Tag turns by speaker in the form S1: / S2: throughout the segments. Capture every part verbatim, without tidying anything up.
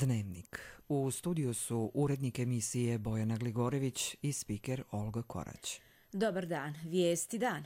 S1: Dnevnik. U studiju su urednik emisije Bojana Gligorević i spiker Olga Korać.
S2: Dobar dan, vijesti dan.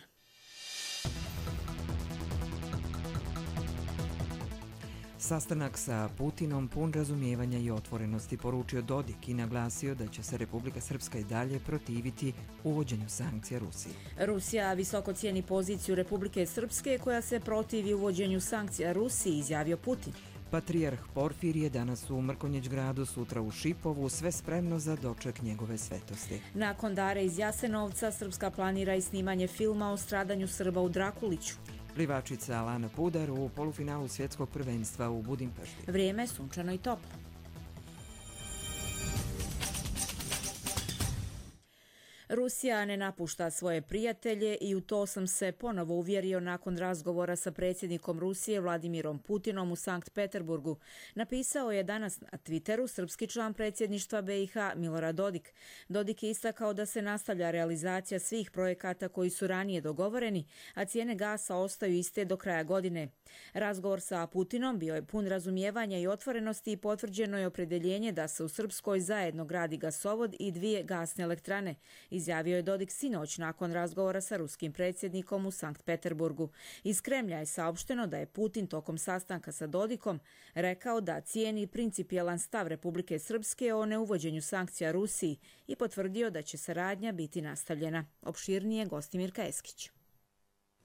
S1: Sastanak sa Putinom pun razumijevanja i otvorenosti, poručio Dodik i naglasio da će se Republika Srpska i dalje protiviti uvođenju sankcija Rusiji.
S2: Rusija visoko cijeni poziciju Republike Srpske koja se protivi uvođenju sankcija Rusiji, izjavio Putin.
S1: Patrijarh Porfirije danas u Mrkonjić gradu, sutra u Šipovu, sve spremno za doček njegove svetosti.
S2: Nakon dare iz Jasenovca, Srpska planira i snimanje filma o stradanju Srba u Drakuliću.
S1: Plivačica Alana Pudar u polufinalu svjetskog prvenstva u Budimpešti.
S2: Vrijeme sunčano i toplo. Rusija ne napušta svoje prijatelje i u to sam se ponovo uvjerio nakon razgovora sa predsjednikom Rusije Vladimirom Putinom u Sankt Peterburgu, napisao je danas na Twitteru srpski član predsjedništva B i H Milorad Dodik. Dodik je istakao da se nastavlja realizacija svih projekata koji su ranije dogovoreni, a cijene gasa ostaju iste do kraja godine. Razgovor sa Putinom bio je pun razumijevanja i otvorenosti i potvrđeno je opredeljenje da se u Srpskoj zajedno gradi gasovod i dvije gasne elektrane, izjavio je Dodik sinoć nakon razgovora sa ruskim predsjednikom u Sankt Peterburgu. Iz Kremlja je saopšteno da je Putin tokom sastanka sa Dodikom rekao da cijeni principijelan stav Republike Srpske o neuvođenju sankcija Rusiji i potvrdio da će saradnja biti nastavljena. Opširnije Gostimirka Eskić.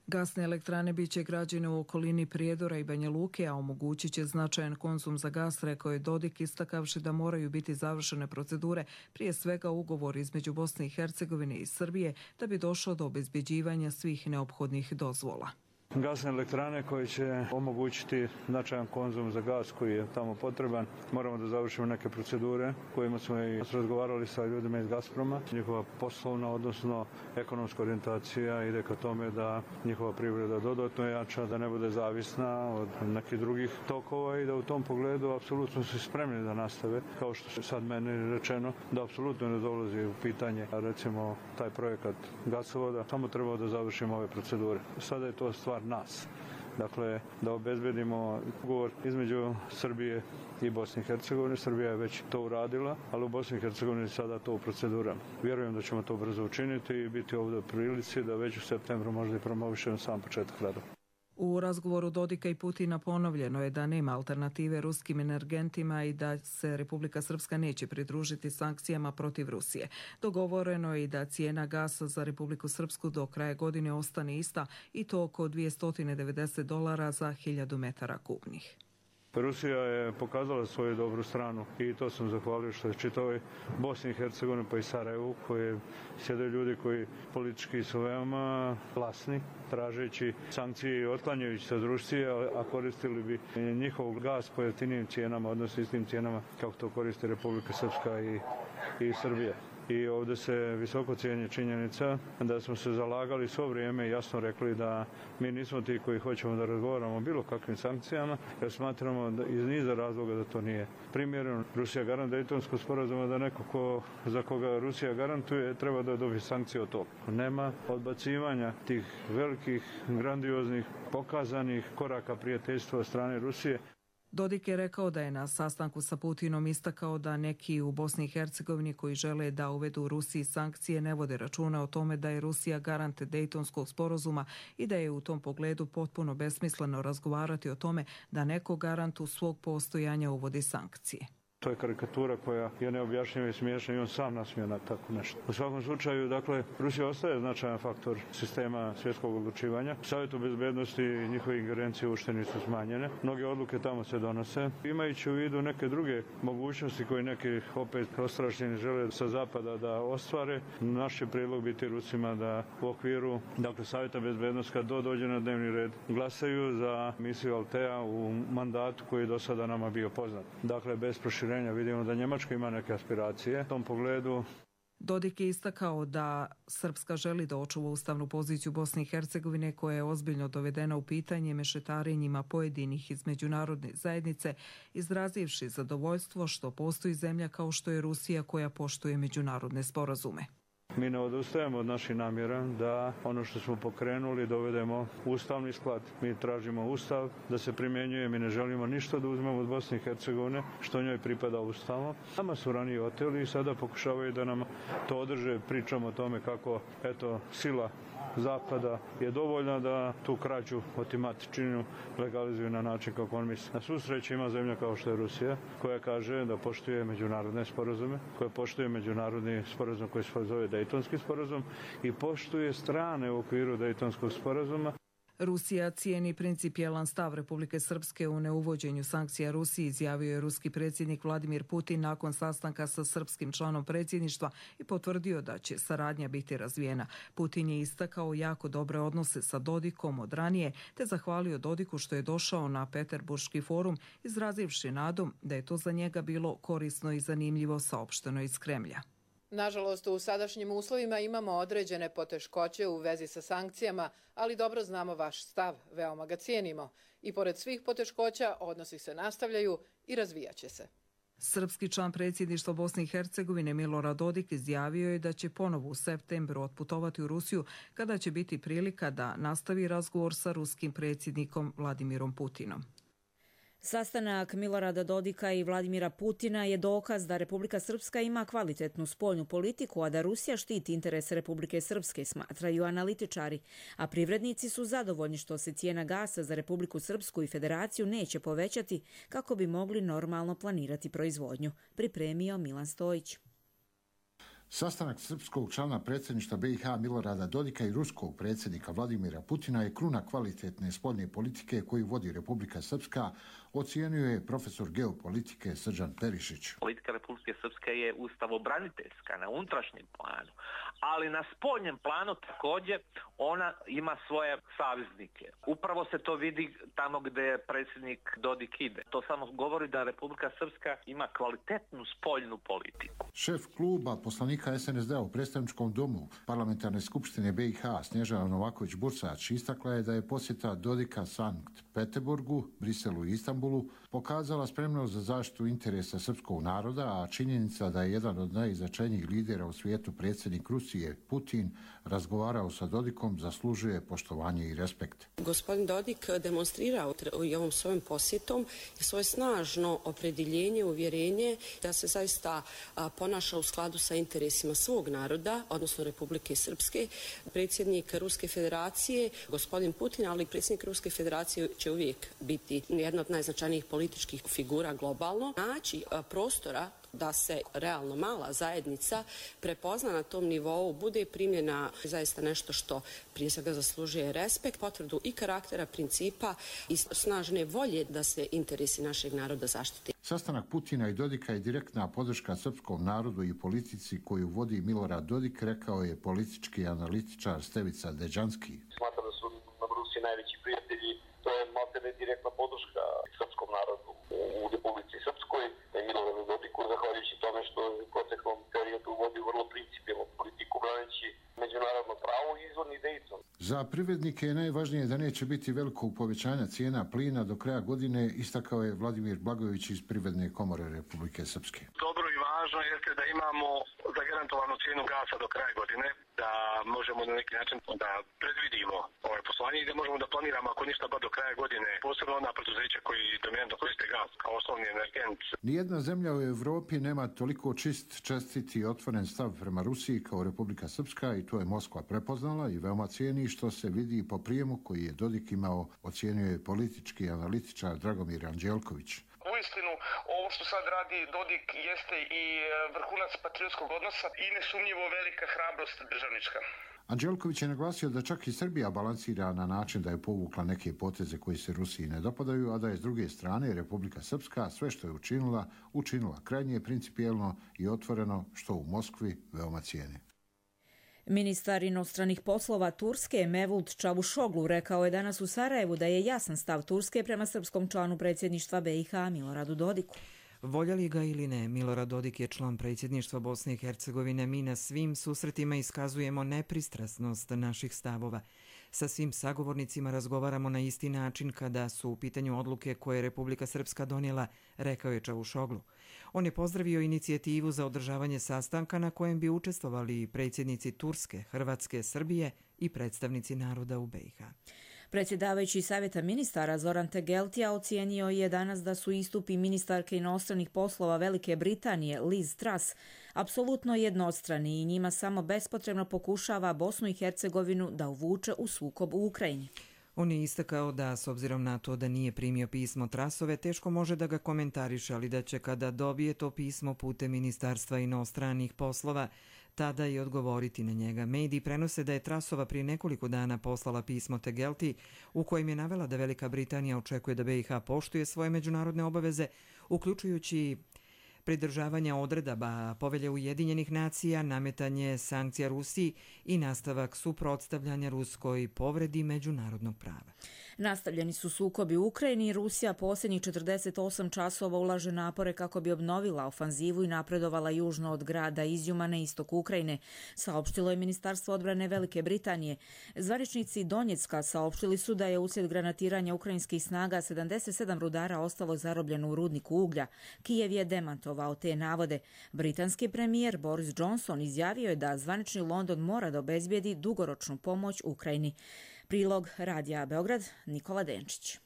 S3: Gasne elektrane bit će građene u okolini Prijedora i Banja Luke, a omogućit će značajan konzum za gas, rekao je Dodik, istakavši da moraju biti završene procedure, prije svega ugovor između Bosne i Hercegovine i Srbije, da bi došlo do obezbjeđivanja svih neophodnih dozvola.
S4: Gasne elektrane koje će omogućiti značajan konzum za gas koji je tamo potreban. Moramo da završimo neke procedure kojima smo i razgovarali sa ljudima iz Gazproma. Njihova poslovna, odnosno ekonomska orijentacija ide ka tome da njihova privreda dodatno jača, da ne bude zavisna od nekih drugih tokova i da u tom pogledu apsolutno su spremni da nastave. Kao što je sad meni rečeno, da apsolutno ne dolazi u pitanje, recimo, taj projekat gasovoda. Samo treba da završimo ove procedure. Sada je to stvar nas. Dakle, da obezbedimo ugovor između Srbije i Bosne i Hercegovine. Srbija je već to uradila, ali u Bosni i Hercegovini sada to u procedurama. Vjerujem da ćemo to brzo učiniti i biti ovdje u prilici da već u septembru možda i promovišemo sam početak radova.
S3: U razgovoru Dodika i Putina ponovljeno je da nema alternative ruskim energentima i da se Republika Srpska neće pridružiti sankcijama protiv Rusije. Dogovoreno je i da cijena gasa za Republiku Srpsku do kraja godine ostane ista i to oko dvjesto devedeset dolara za hiljadu metara kubnih.
S4: Rusija je pokazala svoju dobru stranu i to sam zahvalio što je čitavoj Bosni i Hercegovini pa i Sarajevu, koje sjede ljudi koji politički su veoma glasni, tražeći sankcije i otklanjajući se od Rusije, a koristili bi njihov gas po jeftinijim cijenama, odnosno istim cijenama kako to koristi Republika Srpska i, i Srbija. I ovdje se visoko cijeni činjenica da smo se zalagali svo vrijeme i jasno rekli da mi nismo ti koji hoćemo da razgovaramo o bilo kakvim sankcijama, jer smatramo da iz niza razloga da to nije primjereno. Rusija garantuje Dejtonskog sporazuma da neko ko, za koga Rusija garantuje treba da dobije sankcije od toga. Nema odbacivanja tih velikih, grandioznih, pokazanih koraka prijateljstva od strane Rusije.
S3: Dodik je rekao da je na sastanku sa Putinom istakao da neki u Bosni i Hercegovini koji žele da uvedu Rusiji sankcije ne vode računa o tome da je Rusija garant Dejtonskog sporazuma i da je u tom pogledu potpuno besmisleno razgovarati o tome da neko garantu svog postojanja uvodi sankcije.
S4: To je karikatura koja je neobjašnjiva i smiješna i on sam nasmije na tako nešto. U svakom slučaju, dakle, Rusija ostaje značajan faktor sistema svjetskog odlučivanja. Savjetu bezbednosti i njihove ingerencije uopšte su smanjene. Mnoge odluke tamo se donose. Imajući u vidu neke druge mogućnosti koje neki opet ostrašćeni žele sa zapada da ostvare, naš će prijedlog biti Rusima da u okviru, dakle, Savjeta bezbednosti kad do dođe na dnevni red glasaju za misiju Altea u mandatu koji je do sada nama bio poznat. Dakle, bez proširenja. Vidimo da Njemačka ima neke aspiracije u tom pogledu.
S3: Dodik je istakao da Srpska želi da očuva ustavnu poziciju Bosne i Hercegovine koja je ozbiljno dovedena u pitanje mešetarenjima pojedinih iz međunarodne zajednice, izrazivši zadovoljstvo što postoji zemlja kao što je Rusija koja poštuje međunarodne sporazume.
S4: Mi ne odustajemo od naših namjera da ono što smo pokrenuli dovedemo u ustavni sklad. Mi tražimo ustav da se primjenjuje, mi ne želimo ništa da uzmemo od Bosne i Hercegovine što njoj pripada ustavom. Nama su ranije oteli i sada pokušavaju da nam to održe. Pričamo o tome kako eto sila Zapada je dovoljna da tu krađu, otimačinu legalizuju na način kako on misli. Na svu sreću ima zemlja kao što je Rusija, koja kaže da poštuje međunarodne sporazume, koja poštuje međunarodni sporazum koji se zove Dejtonski sporazum i poštuje strane u okviru Dejtonskog sporazuma.
S3: Rusija cijeni principijelan stav Republike Srpske u neuvođenju sankcija Rusiji, izjavio je ruski predsjednik Vladimir Putin nakon sastanka sa srpskim članom predsjedništva i potvrdio da će saradnja biti razvijena. Putin je istakao jako dobre odnose sa Dodikom od ranije, te zahvalio Dodiku što je došao na Peterburški forum, izrazivši nadom da je to za njega bilo korisno i zanimljivo, saopšteno iz Kremlja.
S5: Nažalost, u sadašnjim uslovima imamo određene poteškoće u vezi sa sankcijama, ali dobro znamo vaš stav, veoma ga cijenimo. I pored svih poteškoća, odnosi se nastavljaju i razvijaće se.
S3: Srpski član predsjedništva Bosne i Hercegovine Milorad Dodik izjavio je da će ponovo u septembru otputovati u Rusiju kada će biti prilika da nastavi razgovor sa ruskim predsjednikom Vladimirom Putinom.
S2: Sastanak Milorada Dodika i Vladimira Putina je dokaz da Republika Srpska ima kvalitetnu spoljnu politiku, a da Rusija štiti interese Republike Srpske, smatraju analitičari, a privrednici su zadovoljni što se cijena gasa za Republiku Srpsku i Federaciju neće povećati kako bi mogli normalno planirati proizvodnju, pripremio Milan Stojić.
S6: Sastanak srpskog člana predsjedništva B i H Milorada Dodika i ruskog predsjednika Vladimira Putina je kruna kvalitetne spoljne politike koju vodi Republika Srpska, ocijenio je profesor geopolitike Srđan Perišić.
S7: Politika Republike Srpske je ustavobraniteljska na unutrašnjem planu, ali na spoljnem planu također ona ima svoje saveznike. Upravo se to vidi tamo gdje predsjednik Dodik ide. To samo govori da Republika Srpska ima kvalitetnu spoljnu politiku.
S6: Šef kluba poslanika S N S D-a u predstavničkom domu Parlamentarne skupštine B i H Snježana Novaković-Bursač istakla je da je posjeta Dodika Sankt Peterburgu, Briselu i Istanbulu pokazala spremnost za zaštitu interesa srpskog naroda, a činjenica da je jedan od najznačajnijih lidera u svijetu predsjednik Rusije, Putin, razgovarao sa Dodikom zaslužuje poštovanje i respekt.
S8: Gospodin Dodik demonstrirao i ovom svojom posjetom svoje snažno opredjeljenje, uvjerenje da se zaista ponaša u skladu sa interesima svog naroda, odnosno Republike Srpske. Predsjednik Ruske federacije, gospodin Putin, ali predsjednik Ruske federacije će uvijek biti jedna od najznačajnijih političkih figura globalno. Naći prostora da se realno mala zajednica prepozna na tom nivou, bude primljena zaista nešto što prije svega zaslužuje respekt, potvrdu i karaktera, principa i snažne volje da se interesi našeg naroda zaštite.
S6: Sastanak Putina i Dodika je direktna podrška srpskom narodu i politici koju vodi Milorad Dodik, rekao je politički analitičar Stevica Deđanski.
S9: Smatram da su nam Rusi najveći prijatelji, to je maltene direktna podrška srpskom narodu u Republici Srpskoj. Miloradu Dodiku, zahvaljujući tome što u proteklom periodu vodi vrlo principijelnu politiku braneći međunarodno pravo i izvorni Dejton.
S6: Za privrednike je najvažnije da neće biti velikog povećanja cijena plina do kraja godine, istakao je Vladimir Blagojević iz Privredne komore Republike Srpske.
S10: Dobro i važno jeste da imamo zagarantovanu cijenu gasa do kraja godine, da možemo na neki način da predvidimo ovaj poslovanje i da možemo da planiramo ako ništa ba do kraja godine, posebno ona preduzeća koji dominantno koriste gas kao osnovni energent.
S6: Nijedna zemlja u Evropi nema toliko čist, čestit i otvoren stav prema Rusiji kao Republika Srpska i to je Moskva prepoznala i veoma cijeni, što se vidi po prijemu koji je Dodik imao, ocijenio je politički analitičar Dragomir Anđelković.
S11: Uistinu, ovo što sad radi Dodik jeste i vrhunac patriotskog odnosa i nesumnjivo velika hrabrost državnička.
S6: Anđelković je naglasio da čak i Srbija balansira na način da je povukla neke poteze koji se Rusiji ne dopadaju, a da je s druge strane Republika Srpska sve što je učinila, učinila krajnje principijelno i otvoreno, što u Moskvi veoma cijene.
S2: Ministar inostranih poslova Turske Mevlut Čavuşoglu rekao je danas u Sarajevu da je jasan stav Turske prema srpskom članu predsjedništva B i H Miloradu Dodiku.
S1: Voljeli ga ili ne, Milorad Dodik je član predsjedništva Bosne i Hercegovine. Mi na svim susretima iskazujemo nepristrasnost naših stavova. Sa svim sagovornicima razgovaramo na isti način kada su u pitanju odluke koje je Republika Srpska donijela, rekao je Čavušoglu. On je pozdravio inicijativu za održavanje sastanka na kojem bi učestvovali predsjednici Turske, Hrvatske, Srbije i predstavnici naroda u B i H.
S2: Predsjedavajući Savjeta ministara Zoran Tegeltija ocijenio je danas da su istupi ministarke inostranih poslova Velike Britanije Liz Truss apsolutno jednostrani i njima samo bespotrebno pokušava Bosnu i Hercegovinu da uvuče u sukob u Ukrajini.
S1: On je istakao da, s obzirom na to da nije primio pismo Trussove, teško može da ga komentariše, ali da će kada dobije to pismo putem Ministarstva inostranih poslova, tada i odgovoriti na njega. Mediji prenose da je Trussova prije nekoliko dana poslala pismo Tegelti u kojem je navela da Velika Britanija očekuje da B i H poštuje svoje međunarodne obaveze, uključujući pridržavanja odredaba Povelje Ujedinjenih nacija, nametanje sankcija Rusiji i nastavak suprotstavljanja ruskoj povredi međunarodnog prava.
S2: Nastavljeni su sukobi u Ukrajini i Rusija posljednjih četrdeset osam časova ulaže napore kako bi obnovila ofanzivu i napredovala južno od grada Izjuma na istoku Ukrajine, saopštilo je Ministarstvo odbrane Velike Britanije. Zvaničnici Donjecka saopštili su da je uslijed granatiranja ukrajinskih snaga sedamdeset sedam rudara ostalo zarobljeno u rudniku uglja. Kijev je demantovao te navode. Britanski premijer Boris Johnson izjavio je da zvanični London mora da obezbijedi dugoročnu pomoć Ukrajini. Prilog Radija Beograd, Nikola Denčić.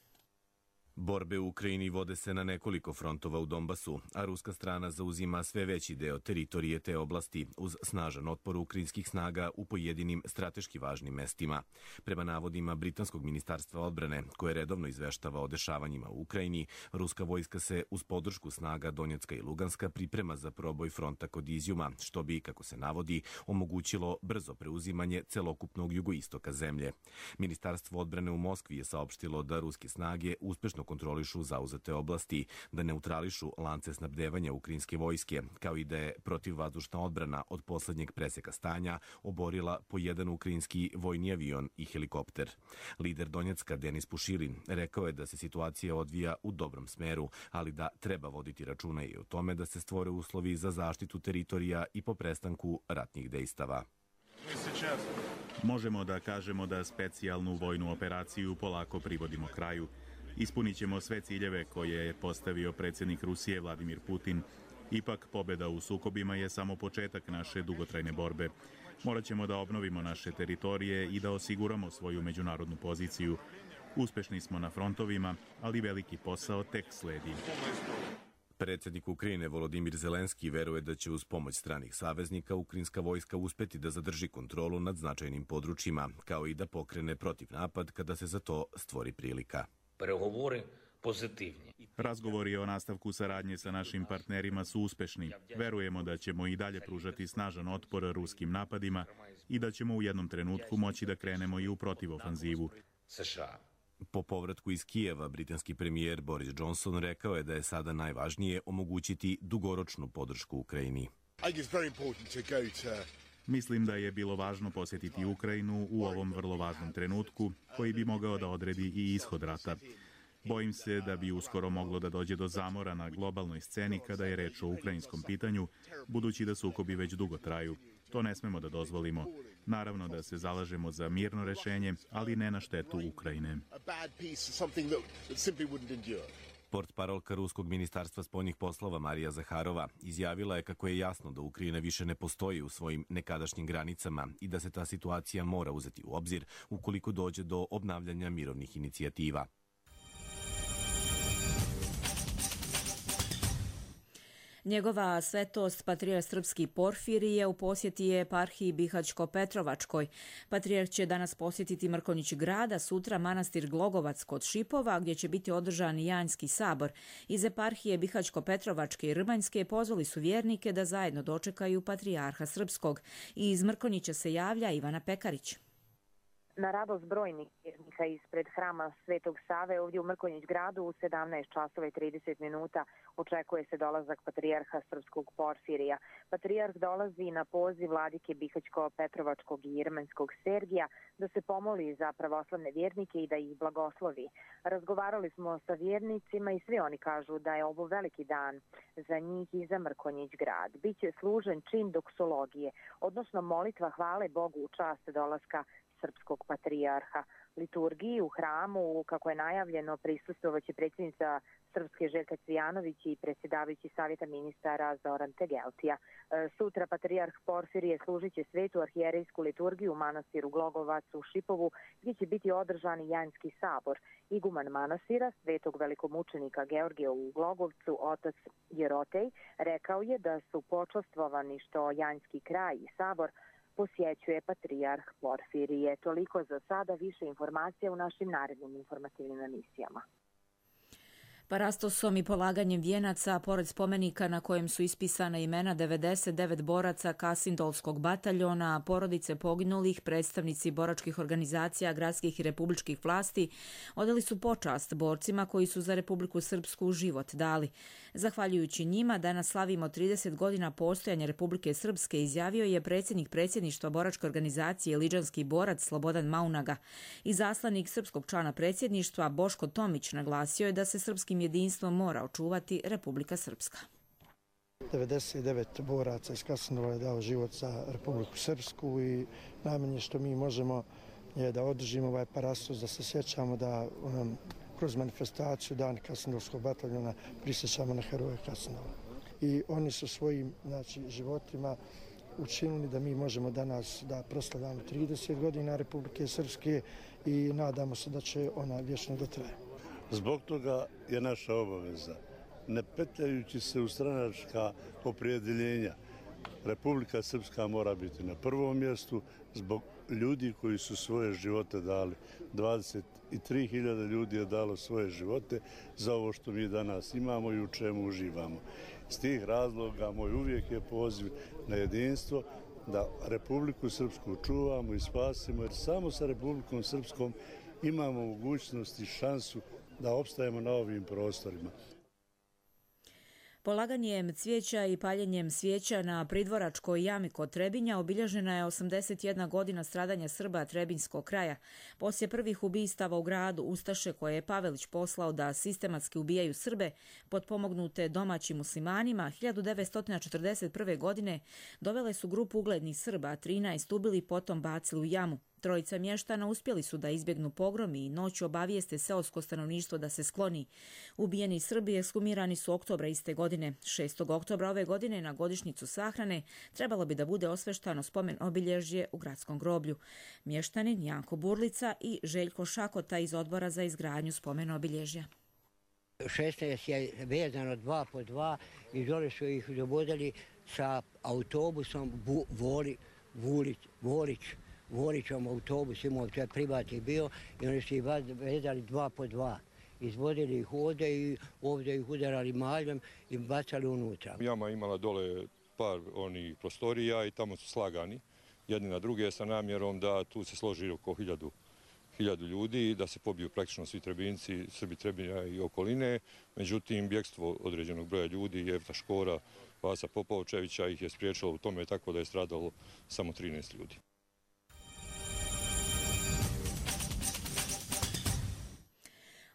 S12: Borbe u Ukrajini vode se na nekoliko frontova u Donbasu, a ruska strana zauzima sve veći deo teritorije te oblasti uz snažan otpor ukrajinskih snaga u pojedinim strateški važnim mestima. Prema navodima Britanskog ministarstva odbrane, koje redovno izveštava o dešavanjima u Ukrajini, ruska vojska se uz podršku snaga Donjecka i Luganska priprema za proboj fronta kod Izjuma, što bi, kako se navodi, omogućilo brzo preuzimanje celokupnog jugoistoka zemlje. Ministarstvo odbrane u Moskvi je saopštilo da ruske snage uspešno kontrolišu zauzete oblasti, da neutrališu lance snabdevanja ukrajinske vojske, kao i da je protivvazdušna odbrana od poslednjeg preseka stanja oborila po jedan ukrajinski vojni avion i helikopter. Lider Donjecka Denis Pušilin rekao je da se situacija odvija u dobrom smeru, ali da treba voditi računa i o tome da se stvore uslovi za zaštitu teritorija i po prestanku ratnih dejstava.
S13: Možemo da kažemo da specijalnu vojnu operaciju polako privodimo kraju. Ispunit ćemo sve ciljeve koje je postavio predsjednik Rusije Vladimir Putin. Ipak, pobjeda u sukobima je samo početak naše dugotrajne borbe. Morat ćemo da obnovimo naše teritorije i da osiguramo svoju međunarodnu poziciju. Uspešni smo na frontovima, ali veliki posao tek sledi.
S12: Predsjednik Ukrajine Volodimir Zelenski veruje da će uz pomoć stranih saveznika ukrajinska vojska uspeti da zadrži kontrolu nad značajnim područjima, kao i da pokrene protiv napad kada se za to stvori prilika.
S14: Pregovori pozitivni.
S13: Razgovori o nastavku saradnje sa našim partnerima su uspešni. Verujemo da ćemo i dalje pružati snažan otpor ruskim napadima i da ćemo u jednom trenutku moći da krenemo i u protivofanzivu.
S12: Po povratku iz Kijeva, britanski premijer Boris Johnson rekao je da je sada najvažnije omogućiti dugoročnu podršku Ukrajini.
S13: Mislim da je bilo važno posjetiti Ukrajinu u ovom vrlo važnom trenutku koji bi mogao da odredi i ishod rata. Bojim se da bi uskoro moglo da dođe do zamora na globalnoj sceni kada je reč o ukrajinskom pitanju, budući da sukobi već dugo traju. To ne smemo da dozvolimo. Naravno da se zalažemo za mirno rešenje, ali ne na štetu Ukrajine.
S12: Portparolka Ruskog ministarstva spoljnih poslova Marija Zaharova izjavila je kako je jasno da Ukrajina više ne postoji u svojim nekadašnjim granicama i da se ta situacija mora uzeti u obzir ukoliko dođe do obnavljanja mirovnih inicijativa.
S2: Njegova svetost patrijarh srpski Porfirije u posjeti je eparhiji Bihaćko-Petrovačkoj. Patrijarh će danas posjetiti Mrkonjić grada, sutra manastir Glogovac kod Šipova, gdje će biti održan Janjski sabor. Iz eparhije Bihaćko-Petrovačke i Rbanjske pozvali su vjernike da zajedno dočekaju patrijarha srpskog. I iz Mrkonjića se javlja Ivana Pekarić.
S15: Na radost brojnih vjernika ispred hrama Svetog Save ovdje u Mrkonjić gradu u sedamnaest časova i trideset minuta Očekuje se dolazak patrijarha srpskog Porfirija. Patrijarh dolazi na poziv vladike Bihaćko-Petrovačkog i Jermenskog Sergija da se pomoli za pravoslavne vjernike i da ih blagoslovi. Razgovarali smo sa vjernicima i svi oni kažu da je ovo veliki dan za njih i za Mrkonjić grad. Biće služen čin doksologije, odnosno molitva hvale Bogu u čast dolaska srpskog patrijarha. Liturgiji u hramu, kako je najavljeno, prisustvovaće predsjednica Srpske Željka Cvijanović i predsjedavajući savjeta ministara Zoran Tegeltija. Sutra patrijarh Porfirije služit će svetu arhijerejsku liturgiju u manastiru Glogovac u Šipovu, gdje će biti održan i Janjski sabor. Iguman manastira svetog velikomučenika Georgija u Glogovcu, otac Jerotej, rekao je da su počastvovani što Janjski kraj i sabor posjećuje patrijarh Porfirije. Toliko za sada, više informacija u našim narednim informativnim emisijama.
S2: Parastosom i polaganjem vijenaca, pored spomenika na kojem su ispisana imena devedeset devet boraca Kasindolskog bataljona, porodice poginulih, predstavnici boračkih organizacija, gradskih i republičkih vlasti, odali su počast borcima koji su za Republiku Srpsku život dali. Zahvaljujući njima, danas slavimo trideset godina postojanja Republike Srpske, izjavio je predsjednik predsjedništva boračke organizacije Liđanski borac Slobodan Maunaga. I zaslanik srpskog člana predsjedništva Boško Tomić naglasio je da se srpskim jedinstvom mora očuvati Republika Srpska.
S16: devedeset devet boraca iz Kasindola je dao život za Republiku Srpsku i najmanje što mi možemo je da održimo ovaj parastos, da se sjećamo da um, kroz manifestaciju Dan Kasindolskog bataljona prisjećamo na heroje Kasindola. I oni su svojim znači, životima učinili da mi možemo danas da proslavljamo trideset godina Republike Srpske i nadamo se da će ona vječno da traje.
S17: Zbog toga je naša obaveza, ne petljajući se u stranačka opredjeljenja, Republika Srpska mora biti na prvom mjestu zbog ljudi koji su svoje živote dali. dvadeset tri hiljade ljudi je dalo svoje živote za ovo što mi danas imamo i u čemu uživamo. S tih razloga moj uvijek je poziv na jedinstvo, da Republiku Srpsku čuvamo i spasimo, jer samo sa Republikom Srpskom imamo mogućnost i šansu da opstajemo na ovim prostorima.
S2: Polaganjem cvijeća i paljenjem svijeća na pridvoračkoj jami kod Trebinja obilježena je osamdeset jedna godina stradanja Srba Trebinjskog kraja. Poslije prvih ubistava u gradu, ustaše koje je Pavelić poslao da sistematski ubijaju Srbe, potpomognute domaćim muslimanima, hiljadu devetsto četrdeset prve. godine dovele su grupu uglednih Srba, trinaest ubili, potom bacili u jamu. Trojica mještana uspjeli su da izbjegnu pogrom i noću obavijeste seosko stanovništvo da se skloni. Ubijeni Srbi ekshumirani su oktobra iste godine. šestog oktobra ove godine na godišnjicu sahrane trebalo bi da bude osveštano spomen obilježje u gradskom groblju. Mještanin Janko Burlica i Željko Šakota iz odbora za izgradnju spomen obilježja.
S18: šesnaest je vezano dva po dva i dole su ih dovodili sa autobusom Bu, Voli, Vulić, Volić. Vorićom autobus imao, to je privatni bio i oni su ih vezali dva po dva. Izvodili ih ovdje i ovdje ih udarali maljem i bacali unutra.
S19: Jama imala dole par onih prostorija i tamo su slagani jedni na druge sa namjerom da tu se složi oko hiljadu, hiljadu ljudi, da se pobiju praktično svi Trebinci, Srbi Trebinja i okoline. Međutim, bjekstvo određenog broja ljudi, Jefta Škora, Vasa Popovčevića ih je spriječilo u tome tako da je stradalo samo trinaest ljudi.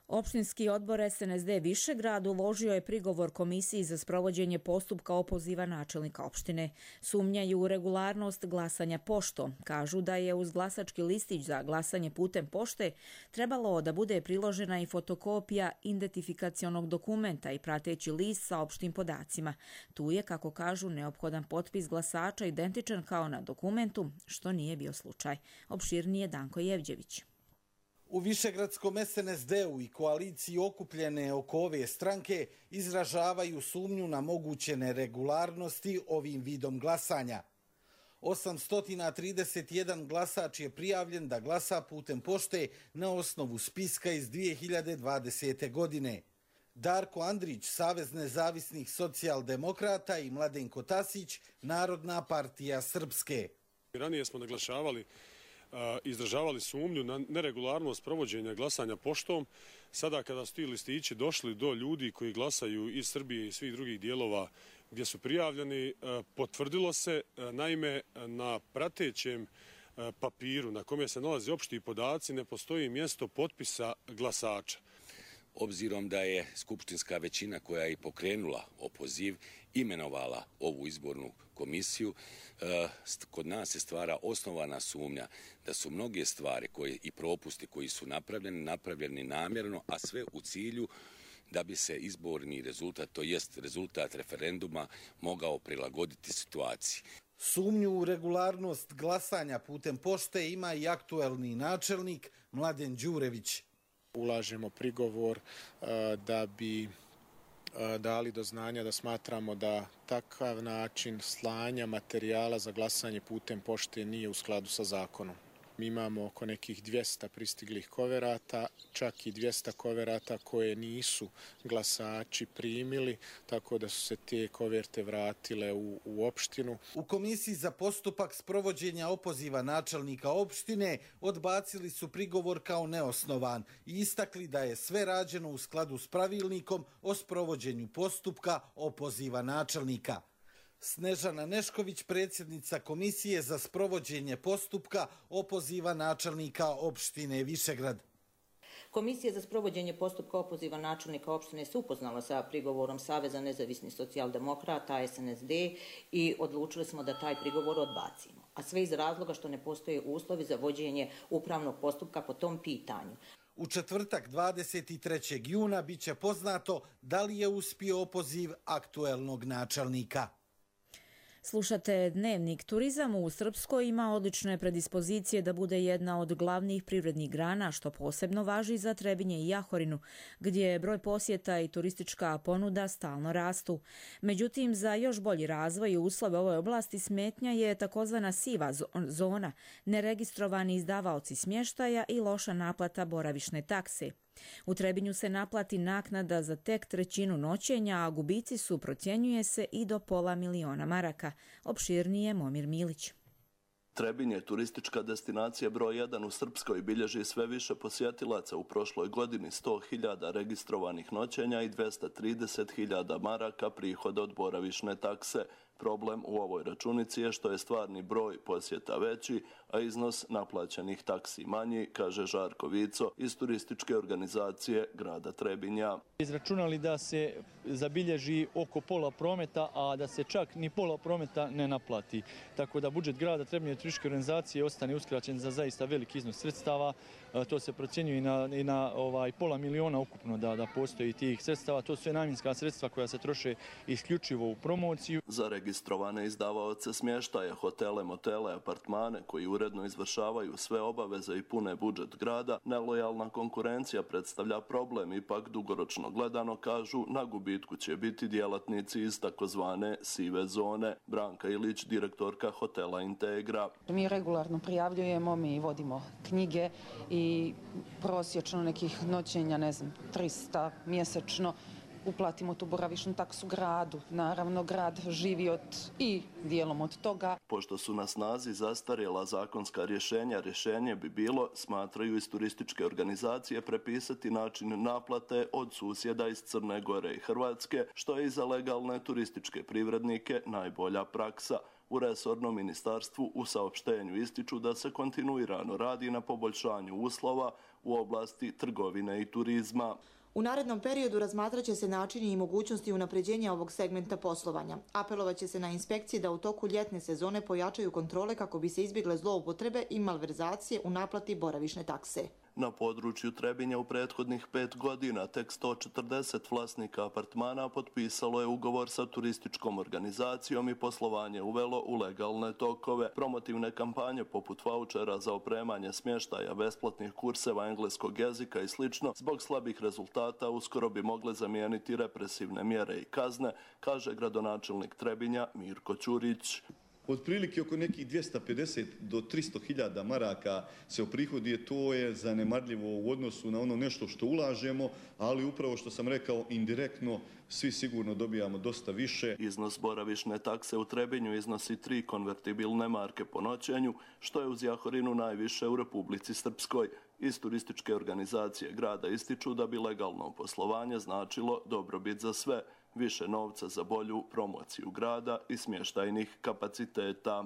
S2: Opštinski odbor S N S D Višegrad uložio je prigovor Komisiji za sprovođenje postupka opoziva načelnika opštine. Sumnjaju u regularnost glasanja poštom. Kažu da je uz glasački listić za glasanje putem pošte trebalo da bude priložena i fotokopija identifikacionog dokumenta i prateći list sa opštim podacima. Tu je, kako kažu, neophodan potpis glasača identičan kao na dokumentu, što nije bio slučaj. Opširnije Danko Jevđević.
S20: U Višegradskom S N S D-u i koaliciji okupljene oko ove stranke izražavaju sumnju na moguće neregularnosti ovim vidom glasanja. osamsto trideset jedan glasač je prijavljen da glasa putem pošte na osnovu spiska iz dvije hiljade dvadesete. godine. Darko Andrić, Savez nezavisnih socijaldemokrata i Mladenko Tasić, Narodna partija Srpske.
S21: Ranije smo naglašavali izražavali sumnju na neregularnost provođenja glasanja poštom. Sada kada su ti listići došli do ljudi koji glasaju iz Srbije i svih drugih dijelova gdje su prijavljeni, potvrdilo se, naime, na pratećem papiru na kome se nalaze opšti podaci ne postoji mjesto potpisa glasača.
S22: Obzirom da je skupštinska većina koja je i pokrenula opoziv imenovala ovu izbornu komisiju, kod nas se stvara osnovana sumnja da su mnoge stvari koje, i propusti koji su napravljeni, napravljeni namjerno, a sve u cilju da bi se izborni rezultat, to jest rezultat referenduma, mogao prilagoditi situaciji.
S20: Sumnju u regularnost glasanja putem pošte ima i aktuelni načelnik Mladen Đurević.
S23: Ulažemo prigovor da bi dali do znanja da smatramo da takav način slanja materijala za glasanje putem pošte nije u skladu sa zakonom. Mi imamo oko nekih dvjesto pristiglih koverata, čak i dvjesto koverata koje nisu glasači primili, tako da su se te koverte vratile u, u opštinu.
S20: U Komisiji za postupak sprovođenja opoziva načelnika opštine odbacili su prigovor kao neosnovan i istakli da je sve rađeno u skladu s pravilnikom o sprovođenju postupka opoziva načelnika. Snežana Nešković, predsjednica Komisije za sprovođenje postupka opoziva načelnika opštine Višegrad.
S24: Komisija za sprovođenje postupka opoziva načelnika opštine se upoznala sa prigovorom Saveza nezavisnih socijaldemokrata S N S D i odlučili smo da taj prigovor odbacimo. A sve iz razloga što ne postoje uslovi za vođenje upravnog postupka po tom pitanju.
S20: U četvrtak dvadeset trećeg juna biće poznato da li je uspio opoziv aktuelnog načelnika.
S2: Slušate Dnevnik. Turizam u Srpskoj ima odlične predispozicije da bude jedna od glavnih privrednih grana, što posebno važi za Trebinje i Jahorinu, gdje broj posjeta i turistička ponuda stalno rastu. Međutim, za još bolji razvoj i uslove ovoj oblasti smetnja je takozvana siva zona, neregistrovani izdavaoci smještaja i loša naplata boravišne takse. U Trebinju se naplati naknada za tek trećinu noćenja, a gubici su, procjenjuje se, i do pola miliona maraka. Opširnije Momir Milić.
S25: Trebinj je turistička destinacija broj jedan u Srpskoj, bilježi sve više posjetilaca, u prošloj godini sto hiljada registrovanih noćenja i dvjesto trideset hiljada maraka prihoda od boravišne takse. Problem u ovoj računici je što je stvarni broj posjeta veći, a iznos naplaćenih taksi manji, kaže Žarko Vico iz turističke organizacije grada Trebinja.
S26: Izračunali da se zabilježi oko pola prometa, a da se čak ni pola prometa ne naplati. Tako da budžet grada Trebinja i turističke organizacije ostane uskraćen za zaista veliki iznos sredstava. To se procjenjuje i na, i na ovaj, pola miliona ukupno da, da postoji tih sredstava. To su sve namjenska sredstva koja se troše isključivo u promociju.
S25: Za registrovane izdavaoce smještaja, hotele, motele, apartmane koji uredno izvršavaju sve obaveze i pune budžet grada, nelojalna konkurencija predstavlja problem. Ipak dugoročno gledano, kažu, na gubitku će biti djelatnici iz takozvane sive zone. Branka Ilić, direktorka hotela Integra.
S27: Mi regularno prijavljujemo, mi vodimo knjige i prosječno nekih noćenja, ne znam, trista mjesečno. Uplatimo tu boravišnu taksu gradu. Naravno, grad živi od i dijelom od toga.
S25: Pošto su na snazi zastarjela zakonska rješenja, rješenje bi bilo, smatraju iz turističke organizacije, prepisati način naplate od susjeda iz Crne Gore i Hrvatske, što je i za legalne turističke privrednike najbolja praksa. U resornom ministarstvu u saopštenju ističu da se kontinuirano radi na poboljšanju uslova u oblasti trgovine i turizma.
S28: U narednom periodu razmatrat će se načini i mogućnosti unapređenja ovog segmenta poslovanja. Apelovat će se na inspekcije da u toku ljetne sezone pojačaju kontrole kako bi se izbjegle zloupotrebe i malverzacije u naplati boravišne takse.
S25: Na području Trebinja u prethodnih pet godina tek sto četrdeset vlasnika apartmana potpisalo je ugovor sa turističkom organizacijom i poslovanje uvelo u legalne tokove. Promotivne kampanje poput vaučera za opremanje smještaja, besplatnih kurseva engleskog jezika i slično zbog slabih rezultata uskoro bi mogle zamijeniti represivne mjere i kazne, kaže gradonačelnik Trebinja Mirko Ćurić.
S3: Otprilike oko nekih dvjesto pedeset do tristo hiljada maraka se oprihoduje, to je zanemarljivo u odnosu na ono nešto što ulažemo, ali upravo što sam rekao, indirektno svi sigurno dobijamo dosta više.
S25: Iznos boravišne takse u Trebinju iznosi tri konvertibilne marke po noćenju, što je uz Jahorinu najviše u Republici Srpskoj. Iz turističke organizacije grada ističu da bi legalno poslovanje značilo dobrobit za sve, više novca za bolju promociju grada i smještajnih kapaciteta.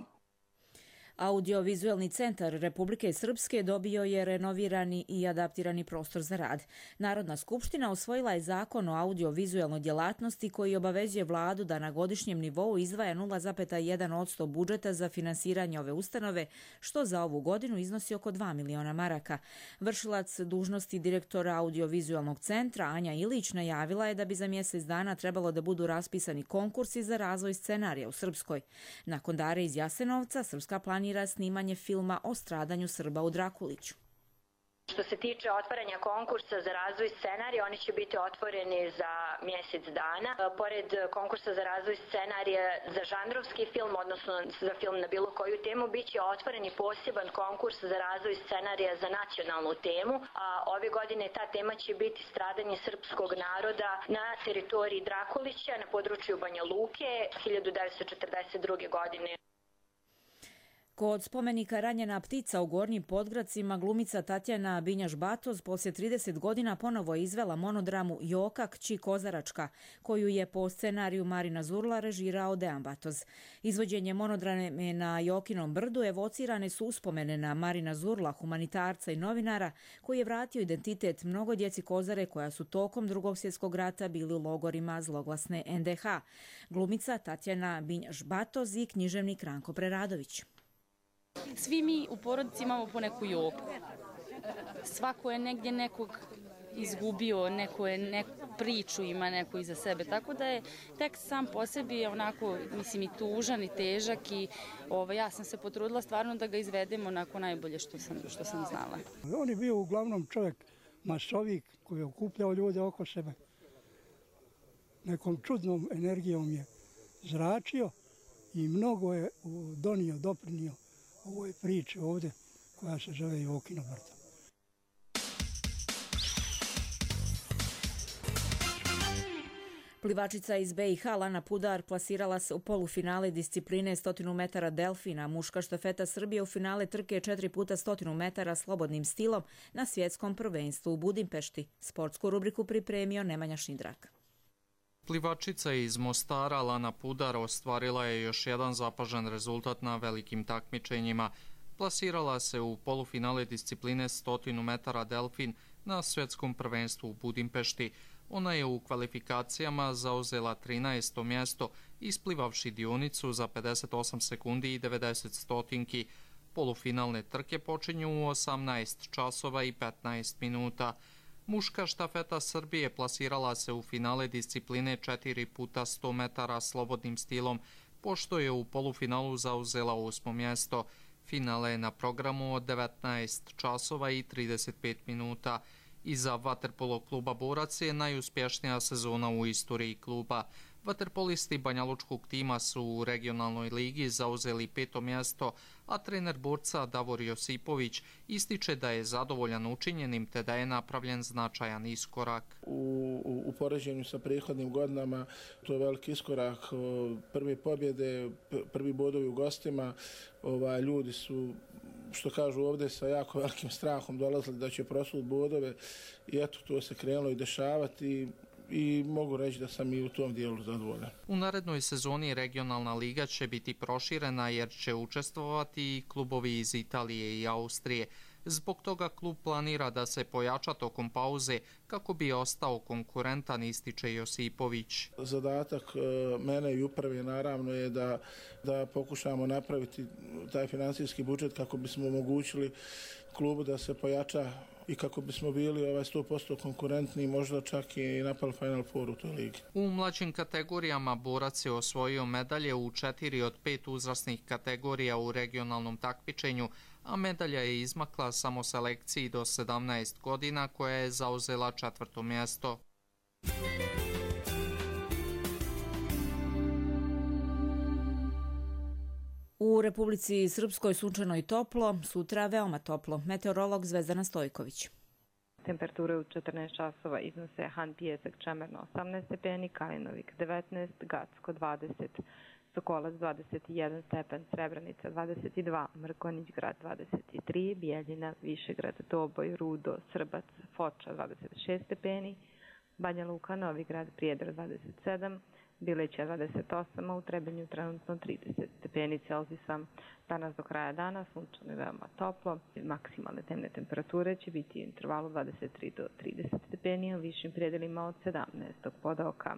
S2: Audiovizualni centar Republike Srpske dobio je renovirani i adaptirani prostor za rad. Narodna skupština usvojila je zakon o audiovizualnoj djelatnosti koji obavezuje vladu da na godišnjem nivou izdvaja nula zarez jedan posto budžeta za finansiranje ove ustanove, što za ovu godinu iznosi oko dva miliona maraka. Vršilac dužnosti direktora audiovizualnog centra Anja Ilić najavila je da bi za mjesec dana trebalo da budu raspisani konkursi za razvoj scenarija u Srpskoj. Nakon Dare iz Jasenovca, Srpska planira snimanje filma o stradanju Srba u Drakuliću.
S4: Što se tiče otvaranja konkursa za razvoj scenarija, oni će biti otvoreni za mjesec dana. Pored konkursa za razvoj scenarija za žanrovski film, odnosno za film na bilo koju temu, bit će otvoren i poseban konkurs za razvoj scenarija za nacionalnu temu. A ove godine ta tema će biti stradanje srpskog naroda na teritoriji Drakulića na području Banja Luke hiljadu devetsto četrdeset druge. godine.
S2: Kod spomenika Ranjena ptica u Gornjim Podgradcima glumica Tatjana Binjaš-Batoz poslije trideset godina ponovo je izvela monodramu Joka, kći Kozaračka, koju je po scenariju Marina Zurla režirao Dejan Batoz. Izvođenje monodrame na Jokinom brdu evocirane su uspomene na Marina Zurla, humanitarca i novinara, koji je vratio identitet mnogo djeci Kozare koja su tokom Drugog svjetskog rata bili u logorima zloglasne en de ha. Glumica Tatjana Binjaš-Batoz i književnik Ranko Preradović.
S5: Svi mi u porodici imamo po neku Joku. Svako je negdje nekog izgubio, neko je neku priču ima neku iza sebe. Tako da je tekst sam po sebi onako, mislim, i tužan i težak i ovo, ja sam se potrudila stvarno da ga izvedemo onako najbolje što sam, što sam znala.
S7: On je bio uglavnom čovjek masovik koji je okupljao ljude oko sebe. Nekom čudnom energijom je zračio i mnogo je donio, doprinio ovoj priči ovdje koja se zove Jokino brdo.
S2: Plivačica iz be i ha Lana Pudar plasirala se u polufinale discipline sto metara delfina. Muška štafeta Srbije u finale trke četiri puta sto metara slobodnim stilom na svjetskom prvenstvu u Budimpešti. Sportsku rubriku pripremio Nemanja Šindrak.
S8: Plivačica iz Mostara Lana Pudar ostvarila je još jedan zapažen rezultat na velikim takmičenjima. Plasirala se u polufinale discipline sto metara delfin na svjetskom prvenstvu u Budimpešti. Ona je u kvalifikacijama zauzela trinaesto mjesto, isplivavši dionicu za pedeset osam sekundi i devedeset stotinki. Polufinalne trke počinju u osamnaest časova i petnaest minuta. Muška štafeta Srbije plasirala se u finale discipline četiri puta sto metara slobodnim stilom, pošto je u polufinalu zauzela osmo mjesto. Finale je na programu od devetnaest časova i trideset pet minuta. Iza vaterpolo kluba Borac je najuspješnija sezona u istoriji kluba. Vaterpolisti banjalučkog tima su u regionalnoj ligi zauzeli peto mjesto, a trener Borca Davor Josipović ističe da je zadovoljan učinjenim te da je napravljen značajan iskorak.
S9: U, u, u poređenju sa prethodnim godinama to je veliki iskorak. Prve pobjede, prvi bodovi u gostima, ovaj, ljudi su, što kažu ovdje, sa jako velikim strahom dolazili da će prosut bodove i eto, to se krenulo i dešavati. I mogu reći da sam i u tom dijelu zadovoljan.
S8: U narednoj sezoni regionalna liga će biti proširena jer će učestvovati i klubovi iz Italije i Austrije. Zbog toga klub planira da se pojača tokom pauze kako bi ostao konkurentan, ističe Josipović.
S9: Zadatak mene i uprave naravno je da, da pokušamo napraviti taj financijski budžet kako bismo omogućili klubu da se pojača i kako bismo bili ovaj sto posto konkurentni, možda čak i napali Final Four u toj ligi.
S8: U mlađim kategorijama Borac je osvojio medalje u četiri od pet uzrasnih kategorija u regionalnom takmičenju, a medalja je izmakla samo selekciji do sedamnaest godina koja je zauzela četvrto mjesto.
S2: U Republici Srpskoj sunčano i toplo, sutra veoma toplo. Meteorolog Zvezdana Stojković.
S1: Temperature u četrnaest časova iznose Han Pijesak Čemerno osamnaest stepeni, Kalinovik devetnaest, Gacko dvadeset, Sokolac dvadeset jedan stepen, Srebrenica dvadeset dva, Mrkonjić grad dvadeset tri, Bijeljina, Višegrad, Doboj, Rudo, Srbac, Foča dvadeset šest stepeni, Banja Luka, Novi grad, Prijedor dvadeset sedam, Bileća dvadeset osam, a u Trebinju trenutno trideset stepeni Celzijusa. Danas do kraja dana sunčano i veoma toplo. Maksimalne dnevne temperature će biti u intervalu dvadeset tri do trideset stepeni, u višim predelima od sedamnaest podoka.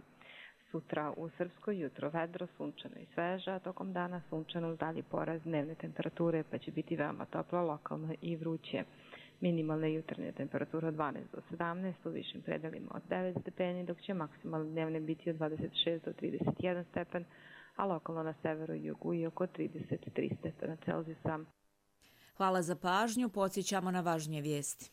S1: Sutra u Srpskoj jutro vedro, sunčano i sveža, tokom dana sunčano uz dalji porast dnevne temperature, pa će biti veoma toplo, lokalno i vruće. Minimalne jutarnje temperature od dvanaest do sedamnaest, u višim predelima od devet stepeni, dok će maksimalne dnevne biti od dvadeset šest do trideset jedan stepen, a lokalno na severu i jugu i oko trideset tri stepena Celzijusa.
S2: Hvala za pažnju, podsjećamo na važnije vijesti.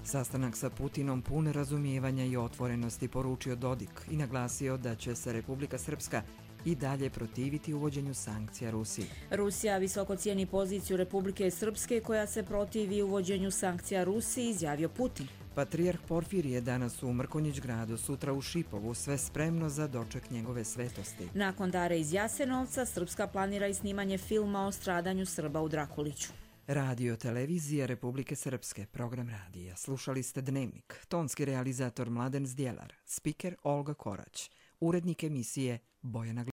S6: Sastanak sa Putinom pun razumijevanja i otvorenosti poručio Dodik i naglasio da će se Republika Srpska i dalje protiviti uvođenju sankcija Rusiji.
S2: Rusija visoko cijeni poziciju Republike Srpske koja se protivi uvođenju sankcija Rusiji, izjavio Putin.
S6: Patrijarh Porfirije danas u Mrkonjić gradu, sutra u Šipovu, sve spremno za doček njegove svetosti.
S2: Nakon dare iz Jasenovca, Srpska planira i snimanje filma o stradanju Srba u Drakuliću.
S6: Radio Televizija Republike Srpske, program radija. Slušali ste Dnevnik. Tonski realizator Mladen Zdjelar, spiker Olga Korać, urednik emisije Bojana